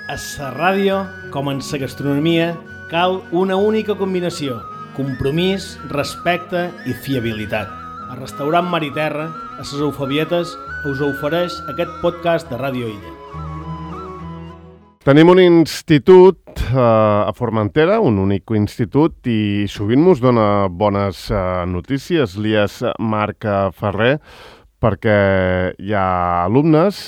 A la ràdio, com en la gastronomia, cal una única combinació: compromís, respecte i fiabilitat. El restaurant Mar i Terra, a les Eufebietes, us ofereix aquest podcast de Ràdio Illa. Tenim un institut a Formentera, un únic institut, i sovint mos dona bones notícies, l'IES Marc Ferrer, perquè hi ha alumnes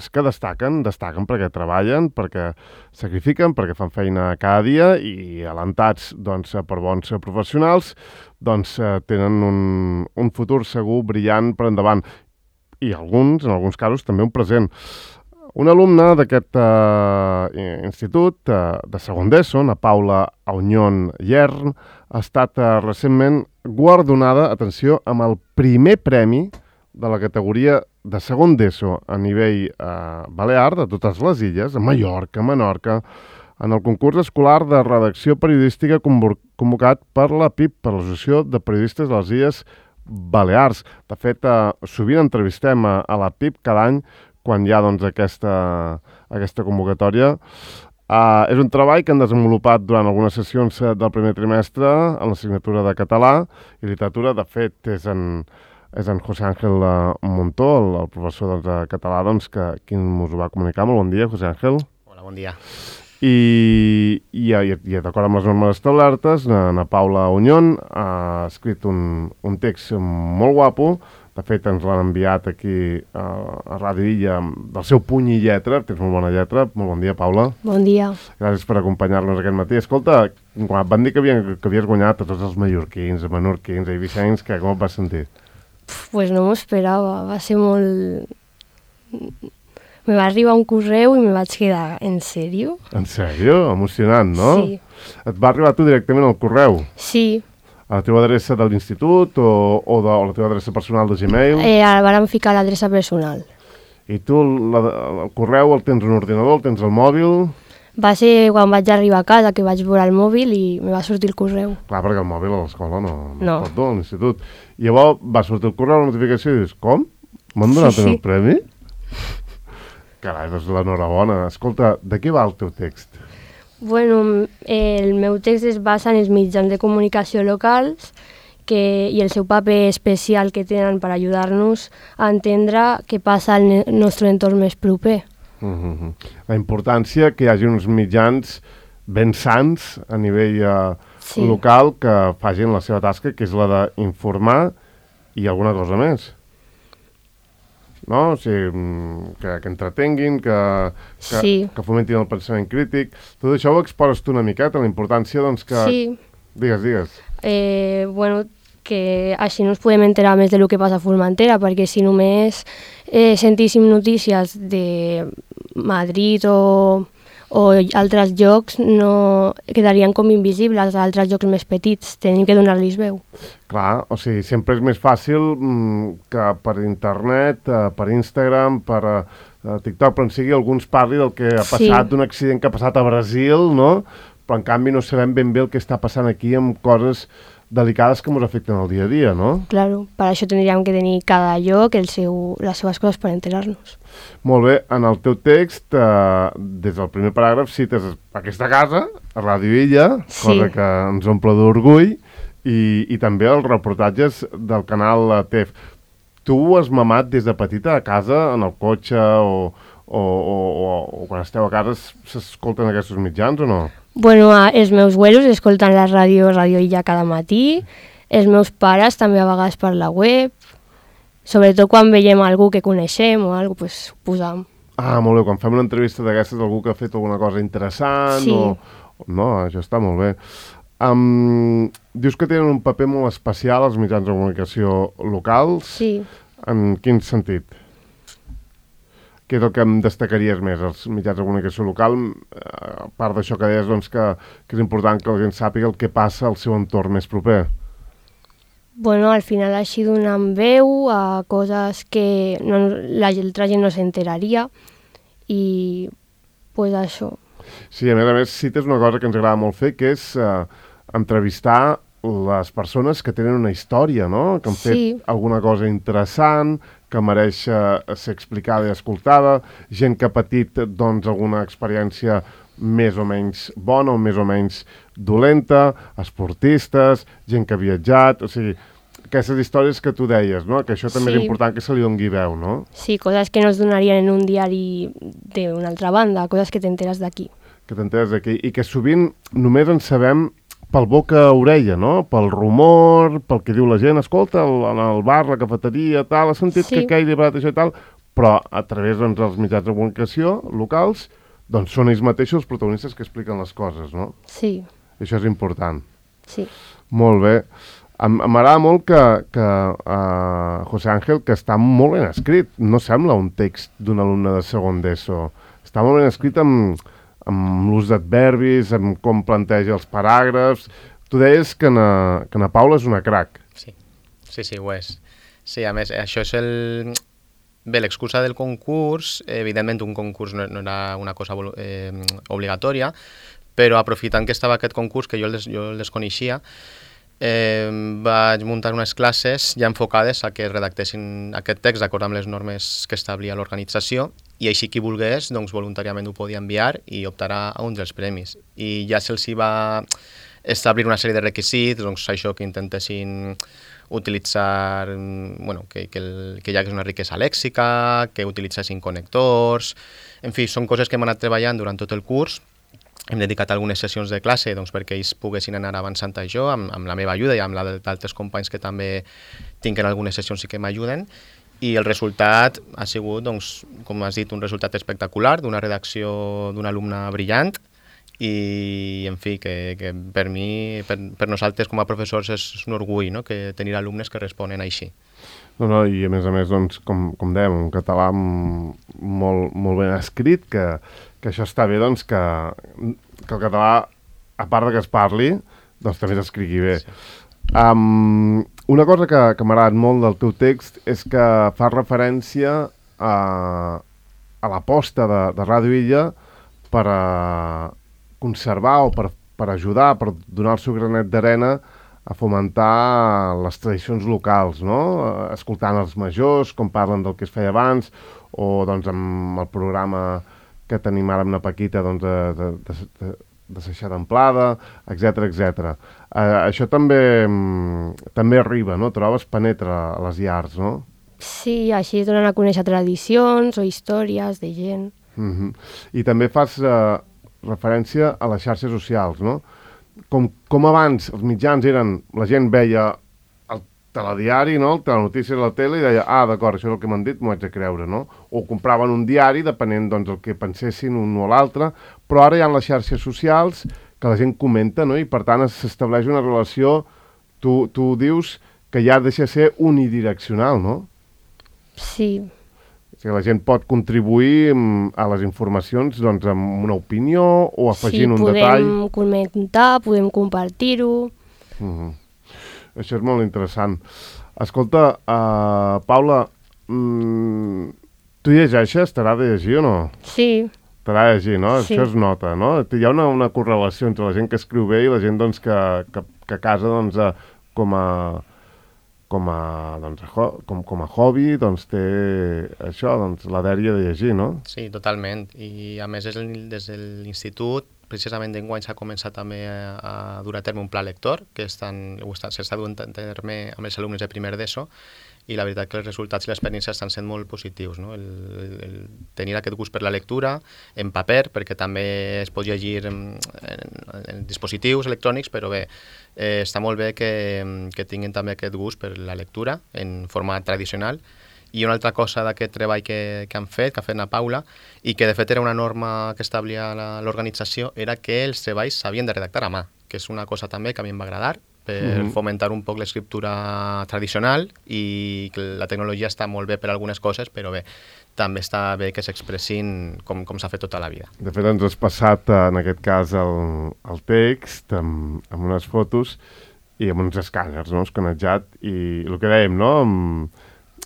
que destaquen perquè treballen, perquè sacrifiquen, perquè fan feina cada dia i alentats per bons professionals tenen un futur segur brillant per endavant i en alguns casos també un present. Una alumna d'aquest institut de segon d'ESO, la Paula Auñón Yern, ha estat recentment guardonada, atenció, amb el primer premi de la categoria de segon d'ESO a nivell balear de totes les illes, a Mallorca, Menorca, en el concurs escolar de redacció periodística convocat per la PIP, per l'Associació de Periodistes de les Illes Balears. De fet, sovint entrevistem a la PIP cada any quan hi ha aquesta convocatòria. És un treball que han desenvolupat durant algunes sessions del primer trimestre en l'assignatura de català i literatura. De fet, és en José Ángel Montó, el professor de català, qui ens ho va comunicar. Molt bon dia, José Ángel. Hola, bon dia. I d'acord amb les normes establertes, na Paula Auñón ha escrit un text molt guapo. De fet, ens l'han enviat aquí a Ràdio Illa del seu puny i lletra. Tens molt bona lletra. Molt bon dia, Paula. Bon dia. Gràcies per acompanyar-nos aquest matí. Escolta, quan van dir que havies guanyat a tots els mallorquins, a menorquins, a eivissencs, com et vas sentir? Pues no m'ho esperava, va ser molt... Me va arribar un correu i me vaig quedar, ¿en sèrio? En sèrio? Emocionant, no? Sí. Et va arribar tu directament al correu? Sí. A la teva adreça de l'institut o de la teva adreça personal de Gmail? Ara vàrem ficar l'adreça personal. I tu el correu el tens en un ordinador, el tens al mòbil? Va ser quan vaig arribar a casa que vaig veure el mòbil i me va sortir el correu. Clar, perquè el mòbil a l'escola no pot dur, a l'institut. I llavors va sortir el correu, la notificació, i dius, com? M'han donat el premi? Carai, doncs l'enhorabona. Escolta, de què va el teu text? Bueno, el meu text es basa en els mitjans de comunicació locals i el seu paper especial que tenen per ajudar-nos a entendre què passa al nostre entorn més proper. La importància que hi hagi uns mitjans ben sants a nivell local que facin la seva tasca, que és la d'informar i alguna cosa més. No? O sigui, que entretenguin, que fomentin el pensament crític. Tot això ho exposes tu una miqueta, la importància que... Sí. Digues. Bueno, que així no ens podem enterar més del que passa a Formentera, perquè si només sentíssim notícies de Madrid o altres llocs, no quedarien com invisibles a altres llocs més petits. Tenim que donar-los veu. Clar, o sigui, sempre és més fàcil que per internet, per Instagram, per TikTok, però en sigui alguns parli del que ha passat, d'un accident que ha passat a Brasil, no? Però en canvi no sabem ben bé el que està passant aquí amb coses delicades que ens afecten el dia a dia, no? Claro, per això tindríem que tenir cada lloc les seves coses per enterar-nos. Molt bé, en el teu text, des del primer paràgraf, cites aquesta casa, a Ràdio Illa, cosa que ens omple d'orgull, i també els reportatges del canal TEF. Tu has mamat des de petita a casa, en el cotxe o quan esteu a casa, s'escolten aquests mitjans o no? Bueno, els meus abuelos escolten la Ràdio Illa cada matí, els meus pares també a vegades per la web, sobretot quan veiem algú que coneixem o alguna cosa, ho posam. Ah, molt bé, quan fem una entrevista d'aquestes d'algú que ha fet alguna cosa interessant No, això està molt bé. Dius que tenen un paper molt especial els mitjans de comunicació locals. Sí. En quin sentit? Què és el que em destacaries més, els mitjans de comunicació local, a part d'això que deies que és important que la gent sàpiga el que passa al seu entorn més proper? Bueno, al final així donant veu a coses que l'altra gent no s'enteraria i pues això. Sí, a més cites una cosa que ens agrada molt fer, que és entrevistar les persones que tenen una història, no? Que han fet alguna cosa interessant, que mereix ser explicada i escoltada, gent que ha patit doncs, alguna experiència més o menys bona o més o menys dolenta, esportistes, gent que ha viatjat, o sigui, aquestes històries que tu deies, no? Que això també és important que se li doni veu, no? Sí, coses que no es donarien en un diari d'una altra banda, coses que t'enteres d'aquí. Que t'enteres d'aquí, i que sovint només en sabem pel boca a orella, no? Pel rumor, pel que diu la gent, escolta, en el bar, la cafeteria, tal, has sentit que aquell li ha parat això i tal, però a través doncs, dels mitjans de comunicació locals, doncs són ells mateixos els protagonistes que expliquen les coses, no? Sí. I això és important. Sí. Molt bé. M'agrada molt que José Ángel, que està molt ben escrit, no sembla un text d'un alumne de segon d'ESO. Està molt ben escrit amb l'ús d'adverbis, amb com planteja els paràgrafs. Tu deies que na Paula és una crac. Sí, ho és. Sí, a més, això és Bé, l'excusa del concurs, evidentment un concurs no era una cosa obligatòria, però aprofitant que estava aquest concurs, que jo el desconeixia, vaig muntar unes classes ja enfocades a que redactessin aquest text d'acord amb les normes que establia l'organització, i així qui volgués doncs, voluntàriament ho podia enviar i optarà a un dels premis. I ja se'ls va establir una sèrie de requisits, doncs això, que intentessin utilitzar, bueno, que hi hagués una riquesa lèxica, que utilitzessin connectors, en fi, són coses que hem anat treballant durant tot el curs. Hem dedicat algunes sessions de classe doncs, perquè ells poguessin anar avançant això, amb la meva ajuda i amb la d'altres companys que també tinguin algunes sessions i que m'ajuden, i el resultat ha sigut, doncs, com has dit, un resultat espectacular, d'una redacció d'un alumne brillant, i, en fi, que per mi, per nosaltres com a professors és un orgull, no?, que tenir alumnes que responen així. No, i a més, doncs, com dèiem, un català molt ben escrit, que això està bé, doncs, que el català, a part que es parli, doncs també s'escrigui bé. Sí. Una cosa que m'ha agradat molt del teu text és que fa referència a l'aposta de Ràdio Illa per conservar o per ajudar, per donar el seu granet d'arena a fomentar les tradicions locals, no? Escoltant els majors, com parlen del que es feia abans, o doncs amb el programa que tenim ara amb la Paquita doncs, de Seixar d'Amplada, etc. Això també arriba, no? Trobes, penetra a les llars, no? Sí, així es donen a conèixer tradicions o històries de gent. I també fas referència a les xarxes socials, no? Com abans els mitjans eren, la gent veia el telediari, no? El telenotícies a la tele i deia, d'acord, això és el que m'han dit, m'ho haig de creure, no? O compraven un diari, depenent doncs el que pensessin un o l'altre, però ara hi ha les xarxes socials que la gent comenta, no? I per tant s'estableix una relació, tu dius que ja deixa de ser unidireccional, no? Sí. Que la gent pot contribuir a les informacions doncs, amb una opinió o afegint un detall. Sí, podem comentar, podem compartir-ho. Això és molt interessant. Escolta, Paula, tu llegeixes? T'agrada de llegir o no? Sí. T'agrada de llegir, no? Sí. Això es nota, no? Hi ha una correlació entre la gent que escriu bé i la gent doncs, que a casa doncs, com a hobby doncs, té això, doncs, la dèria de llegir, no? Sí, totalment. I a més des de l'institut, precisament d'enguany s'ha començat també a dur a terme un pla lector que s'està duent a terme amb els alumnes de primer d'ESO, i la veritat que els resultats i l'experiència estan sent molt positius, no? El tenir aquest gust per la lectura en paper, perquè també es pot llegir en dispositius electrònics, però bé, està molt bé que tinguin també aquest gust per la lectura en format tradicional. I una altra cosa d'aquest treball que ha fet la Paula, i que de fet era una norma que establia l'organització, era que els treballs s'havien de redactar a mà, que és una cosa també que a mi em va agradar, per fomentar un poc l'escriptura tradicional, i que la tecnologia està molt bé per algunes coses, però bé, també està bé que s'expressin com s'ha fet tota la vida. De fet, ens has passat, en aquest cas, el text amb unes fotos i amb uns escàners, no?, escanejat, i el que dèiem, no?,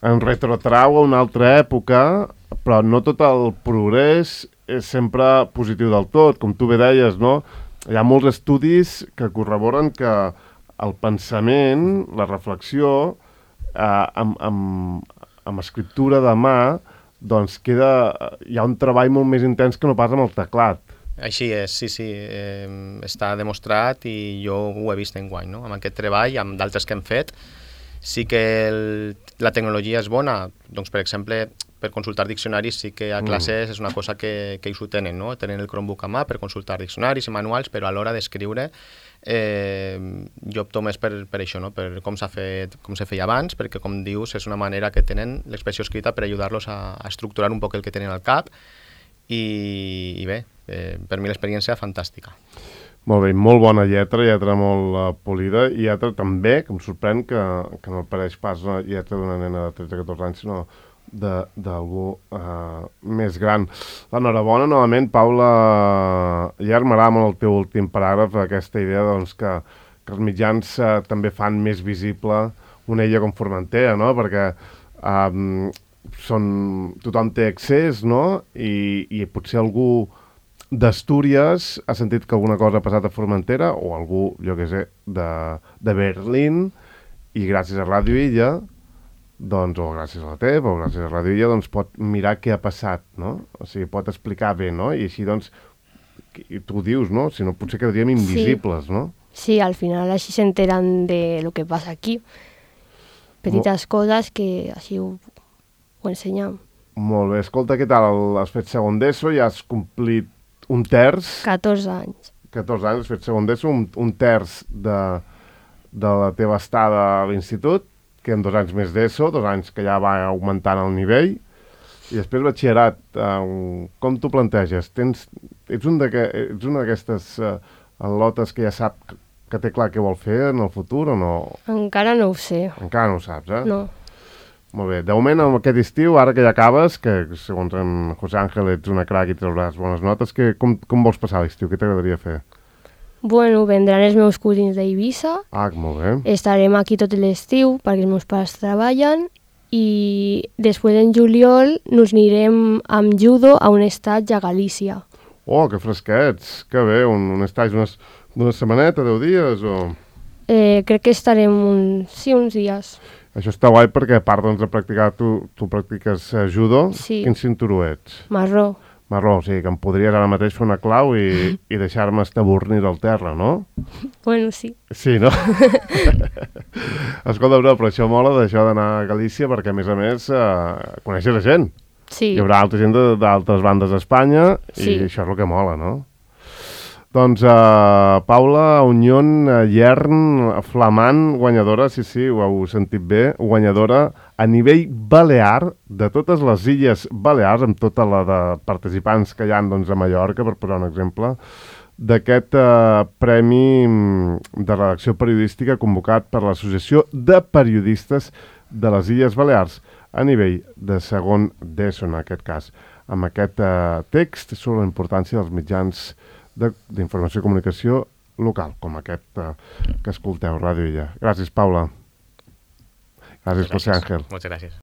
en retrotrau a una altra època, però no tot el progrés és sempre positiu del tot, com tu bé deies, no? Hi ha molts estudis que corroboren que el pensament, la reflexió, amb amb escriptura de mà, doncs hi ha un treball molt més intens que no pas amb el teclat. Així és, sí. Està demostrat i jo ho he vist enguany, no? Amb aquest treball, amb d'altres que hem fet. Sí que la tecnologia és bona, doncs per exemple, per consultar diccionaris sí que a classes és una cosa que ells ho tenen, no? Tenen el Chromebook a mà per consultar diccionaris i manuals, però a l'hora d'escriure jo opto més per això, no? Per com s'ha fet, com se feia abans, perquè com dius és una manera que tenen l'expressió escrita per ajudar-los a estructurar un poc el que tenen al cap i bé, per mi l'experiència fantàstica. Molt bé, molt bona lletra molt polida, i lletra també, que em sorprèn que no pareix pas una lletra d'una nena de 13-14 anys, sinó d'algú més gran. L'enhorabona, novament, Paula. Ja m'agrada molt el teu últim paràgraf, aquesta idea doncs, que els mitjans també fan més visible una illa com Formentera, no? Perquè tothom té accés, no? I potser algú d'Astúries ha sentit que alguna cosa ha passat a Formentera, o algú, jo què sé, de Berlín, i gràcies a Ràdio Illa, doncs, o gràcies a la TEP, o gràcies a Ràdio Illa, doncs pot mirar què ha passat, no? O sigui, pot explicar bé, no? I així, doncs, tu ho dius, no? Si no, potser quedaríem invisibles, no? Sí, al final així s'enteren de lo que passa aquí. Petites coses que així ho ensenyem. Molt bé. Escolta, què tal? Has fet segon d'ESO, ja has complit un terç. 14 anys. 14 anys, has fet segon d'ESO, un terç de la teva estada a l'institut, que en 2 anys més d'ESO, 2 anys que ja va augmentant el nivell, i després batxillerat. Com t'ho planteges? Ets una d'aquestes al·lotes que ja sap que té clar què vol fer en el futur o no? Encara no ho sé. Encara no ho saps, eh? No. Molt bé. De moment, aquest estiu, ara que ja acabes, que segons en José Ángel ets una crac i trauràs bones notes, com vols passar l'estiu? Què t'agradaria fer? Bueno, vendran els meus cosins d'Eivissa. Molt bé. Estarem aquí tot l'estiu perquè els meus pares treballen i després en juliol nos anirem amb judo a un estatge a Galícia. Oh, que fresquets! Que bé, un estatge d'una setmaneta, 10 dies o...? Crec que estarem uns dies. Això està guai perquè a part de practicar, tu practiques judo. Sí. Quin cinturó ets? Marró. Marró, o sigui que em podries ara mateix fer una clau i deixar-me estabornir al terra, no? Bueno, sí. Sí, no? Escolta, però això mola d'això d'anar a Galícia perquè, a més, coneixes la gent. Sí. Hi haurà altra gent d'altres bandes d'Espanya sí. I això és el que mola, no? Doncs Paula Unión Yern, flamant, guanyadora, sí, ho heu sentit bé, guanyadora a nivell balear de totes les Illes Balears, amb tota la de participants que hi ha doncs, a Mallorca, per posar un exemple, d'aquest Premi de Redacció Periodística convocat per l'Associació de Periodistes de les Illes Balears a nivell de segon d'ESO, en aquest cas, amb aquest text sobre la importància dels mitjans d'informació i comunicació local, com aquest que escolteu, Ràdio Illa. Gràcies, Paula. Gràcies, José Ángel. Moltes gràcies.